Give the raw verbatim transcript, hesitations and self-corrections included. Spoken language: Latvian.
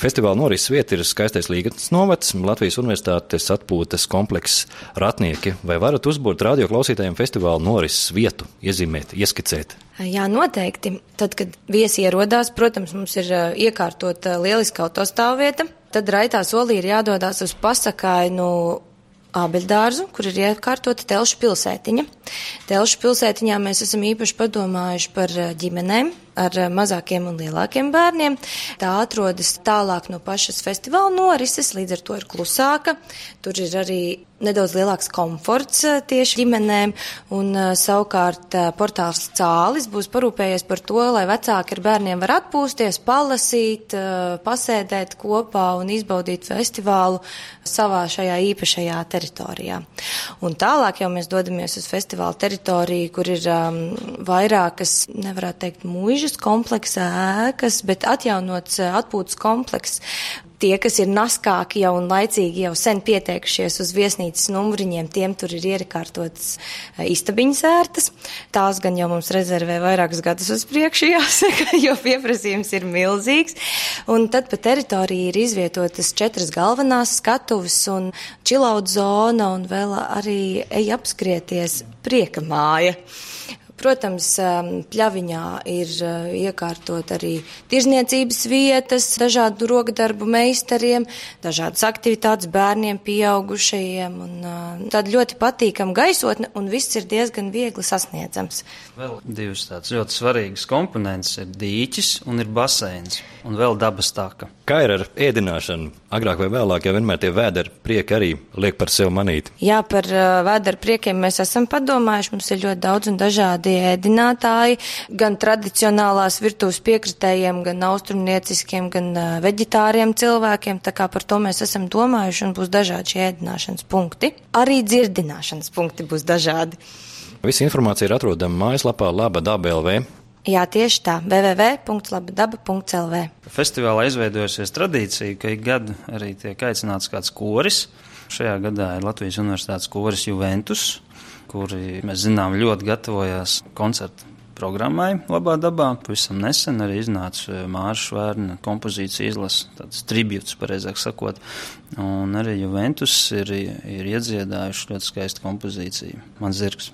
Festivāla norises vieta ir skaistais Līgatnes novads, Latvijas Universitātes atpūtas komplekss Ratnieki. Vai varat uzbūrt radioklausītājiem festivāla norises vietu, iezīmēt, ieskicēt? Jā, noteikti. Tad, kad viesi ierodās, protams, mums ir iekārtota lieliska autostāvvieta. Tad raitā solī ir jādodās uz pasakainu ābeļdārzu, kur ir iekārtota Telšu pilsētiņa. Telšu pilsētiņā mēs esam īpaši padomājuši par ģimenēm ar mazākiem un lielākiem bērniem. Tā atrodas tālāk no pašas festivāla norises, līdz ar to ir klusāka. Tur ir arī nedaudz lielāks komforts tieši ģimenēm, un savukārt portāls Cālis būs parūpējies par to, lai vecāki ar bērniem var atpūsties, palasīt, pasēdēt kopā un izbaudīt festivālu savā šajā īpašajā teritorijā. Un tālāk jau mēs dodamies uz festivāla teritoriju, kur ir um, vairākas, nevarētu teikt, mūžas kompleksa ēkas, bet atjaunots atpūtas komplekss. Tie, kas ir naskāki jau un laicīgi jau sen pieteikušies uz viesnīcas numuriņiem, tiem tur ir iekārtotas istabiņas ērtas. Tās gan jau mums rezervē vairākus gadus uz priekšu, jāsaka, jo pieprasījums ir milzīgs. Un tad pa teritoriju ir izvietotas četras galvenās skatuves un chillout zona un vēl arī ej apskrieties prieka māja. Protams, pļaviņā ir iekārtot arī tirzniecības vietas, dažādu rokdarbu meistariem, dažādas aktivitātes bērniem, pieaugušajiem un tāda ļoti patīkama gaisotne un viss ir diezgan viegli sasniedzams. Vēl divas tādas ļoti svarīgas komponentes ir dīķis un ir baseins un vēl dabas taka. Kā ir ar ēdināšanu? Agrāk vai vēlāk jau vienmēr tie vēderi prieki arī liek par sevi manīt. Jā, par uh, vēderu priekiem mēs esam padomājuši. Mums ir ļoti daudz un dažādi ēdinātāji, gan tradicionālās virtuves piekritējiem, gan austrumnieciskiem, gan uh, veģetāriem cilvēkiem. Tā kā par to mēs esam domājuši un būs dažādi šie ēdināšanas punkti. Arī dzirdināšanas punkti būs dažādi. Visa informācija ir atrodama mājaslapā laba daba punkt l v. Jā, tieši tā, w w w punkts laba daba punkts l v. Festivālā izveidojusies tradīcija, ka ik gadu arī tiek aicināts kāds koris. Šajā gadā ir Latvijas Universitātes koris Juventus, kuri, mēs zinām, ļoti gatavojās koncertu programmai Labā dabā. Pavisam nesen arī iznāca Māra Švērna kompozīcija izlase, tāds tribūts, pareizāk sakot. Un arī Juventus ir, ir iedziedājuši ļoti skaistu kompozīciju. Man zirgs.